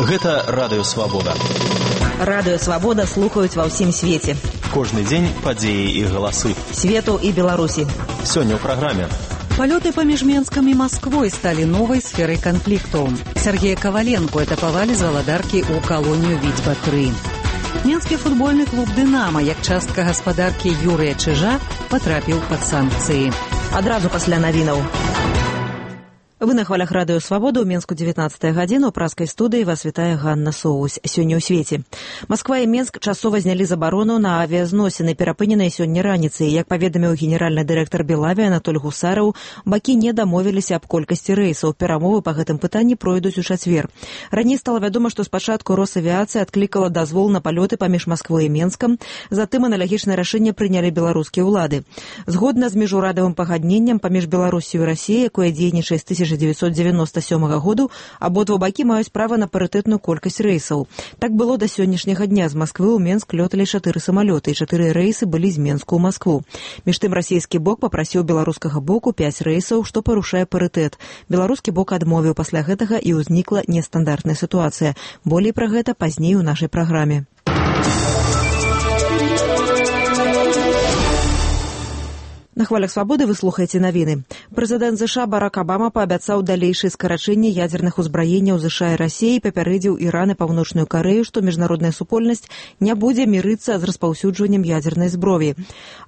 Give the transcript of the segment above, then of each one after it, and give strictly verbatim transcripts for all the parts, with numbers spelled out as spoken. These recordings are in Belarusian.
Гэта Радыё Свабода. Радыё Свабода слухаюць ва ўсім свеце. Кожны дзень падзеі і галасы. Свету і Беларусі. Сёння ў праграме. Палёты паміж Менскам і Масквой сталі новай сферай канфлікту. Сергея Коваленко этапавалі з валадаркі ў калонію Віцьба три. Менскі футбольны клуб «Дынама», як частка гаспадаркі Юрыя Чижа, патрапіў пад санкцыі. Адразу пасля навінаў. Вы на хвалях Радыё Свабода, ў Менску дзевятнаццатая гадзіна, у праскай студыі вас вітае Ганна Соусь. Сёння ў свеце. Масква і Менск часова знялі забарону на авіязносіны, перапыненыя сёння раніцай. Як паведаміў генеральны дырэктар Белаві Анатоль Гусараў, бакі не дамовіліся аб колькасці рэйсаў. Перамовы па гэтым пытанні пройдуць у чацвер. Раней стала вядома, што спачатку Росавіяцыя адклікала дазвол на палёты паміж Масквой і Менскам, затым аналагічнае рашэнне прынялі беларускія ўлады. Згодна з міжурадавым пагадненнем паміж Беларусію і Расіяй, якое дзейнічае з тысяча дзевяцьсот дзевяноста сёмага году, абодва бакі маюць права на парытэтную колькасць рэйсаў. Так было да сённяшняга дня. З Масквы ў Менск лёталі чатыры самалёты, і чатыры рэйсы былі з Менску ў Маскву. Між тым расійскі бок папрасіў беларускага боку пяць рэйсаў, што парушае парытэт. Беларускі бок адмовіў. Пасля гэтага і ўзнікла нестандартная сітуацыя. Болей пра гэта пазней у нашай праграме. На хвалях Свабоды вы слухаеце навіны. Прэзідэнт ЗША Барак Абама паабяцаў далейшае скарачэнне ядзерных узбраенняў ЗША і Расіі, папярэдзіў Іран і Паўночную Карэю, што міжнародная супольнасць не будзе мірыцца з распаўсюджваннем ядзернай зброі.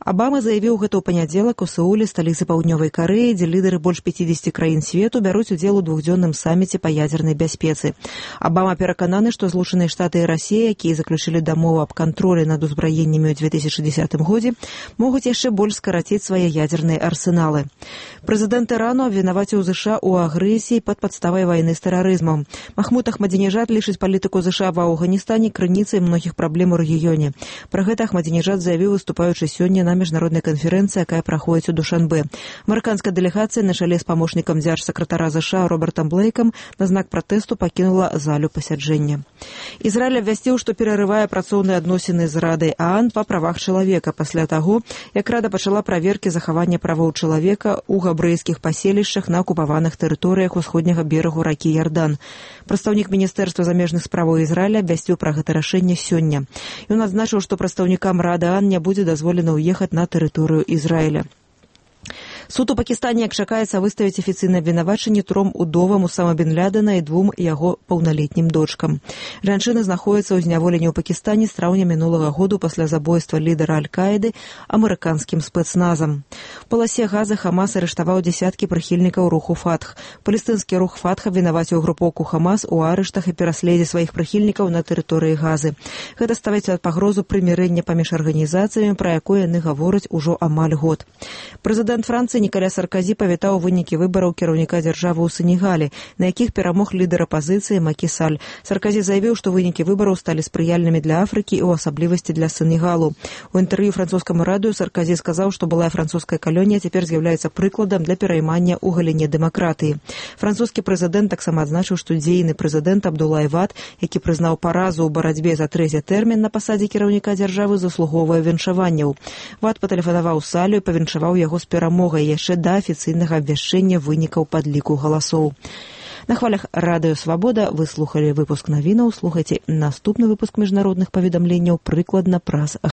Абама заявіў гэта ў панядзелак у Сеуле, сталіцы Паўднёвай Карэі, дзе лідары больш пяцідзесяці краін свету бяруць удзел у двухдзённым саміце па ядзернай бяспецы. Абама перакананы, што Злучаныя Штаты і Расія, якія заключылі дамову аб кантролі над узбраеннямі ў две тысячы дзесятым годзе, могуць яшчэ больш скараціць свае ядзерныя арсеналы. Прэзідэнт Ірану абвінаваціў ЗША ў агрэсіі пад падставай вайны з тэрарызмам. Махмуд Ахмадзінежад лічыць палітыку ЗША ва Афганістане крыніцай многіх праблем у рэгіёне. Пра гэта Ахмадзінежад заявіў, выступаючы сёння на міжнароднай канферэнцыі, якая праходзіць у Душанбе. Амерыканская дэлегацыя на чале з памочнікам дзяржсакратара ЗША Робертам Блейкам на знак пратэсту пакінула залю пасяджэння. Ізраіль абвясціў, што перарывае працоўныя адносіны з Радай ААН па правах чалавека пасля таго, як Рада пачала праверкі захавання правоў чалавека ў габрэйскіх паселішчах на акупаваных тэрыторыях усходняга берагу ракі Ярдан. Прадстаўнік Міністэрства замежных справаў Ізраіля абвясціў пра гэта рашэнне сёння. Ён адзначыў, што прадстаўнікам Рады ААН не будзе дазволена ўехаць на тэрыторыю Ізраіля. Суд у Пакістане, як чакаецца, выставіць афіцыйнае абвінавачанне тром удовам Усама бен Лядена і двум яго паўналетнім дочкам. Жанчыны знаходзяцца ў зняволенні ў Пакістане з траўня мінулага году пасля забойства лідара Аль-Каіды амерыканскім спецназам. У паласе Газы Хамас арыштаваў дзясяткі прыхільнікаў руху Фатх. Палестынскі рух Фатх абвінаваціў групоўку Хамас у арыштах і пераследзе сваіх прыхільнікаў на тэрыторыі Газы. Гэта ставіць пад пагрозу прымірэння паміж арганізацыямі, пра якое яны гавораць ужо амаль год. Прэзідэнт Францыі Нікаля Сарказі павітаў вынікі выбараў кіраўніка дзяржавы ў Сенегале, на якіх перамог лідар апазіцыі Макі Саль. Сарказі заявіў, што вынікі выбараў сталі спрыяльнымі для Афрыкі і ў асаблівасці для Сенегалу. У інтэрв'ю французскаму радыё Сарказі сказаў, што былая французская калонія цяпер з'яўляецца прыкладам для пераймання ў галіне дэмакратыі. Французскі прэзідэнт таксама адзначыў, што дзейны прэзідэнт Абдулай Вад, які прызнаў паразу ў барацьбе за трэці тэрмін на пасадзе кіраўніка дзяржавы, заслугоўвае віншаванняў. Вад патэлефанаваў Салю і павіншаваў яго з перамогай яшчэ да афіцыйнага абвяшчэння вынікаў падліку галасоў. На хвалях Радыё Свабода вы слухалі выпуск навінаў. Слухайце наступны выпуск міжнародных паведамленняў прыкладна праз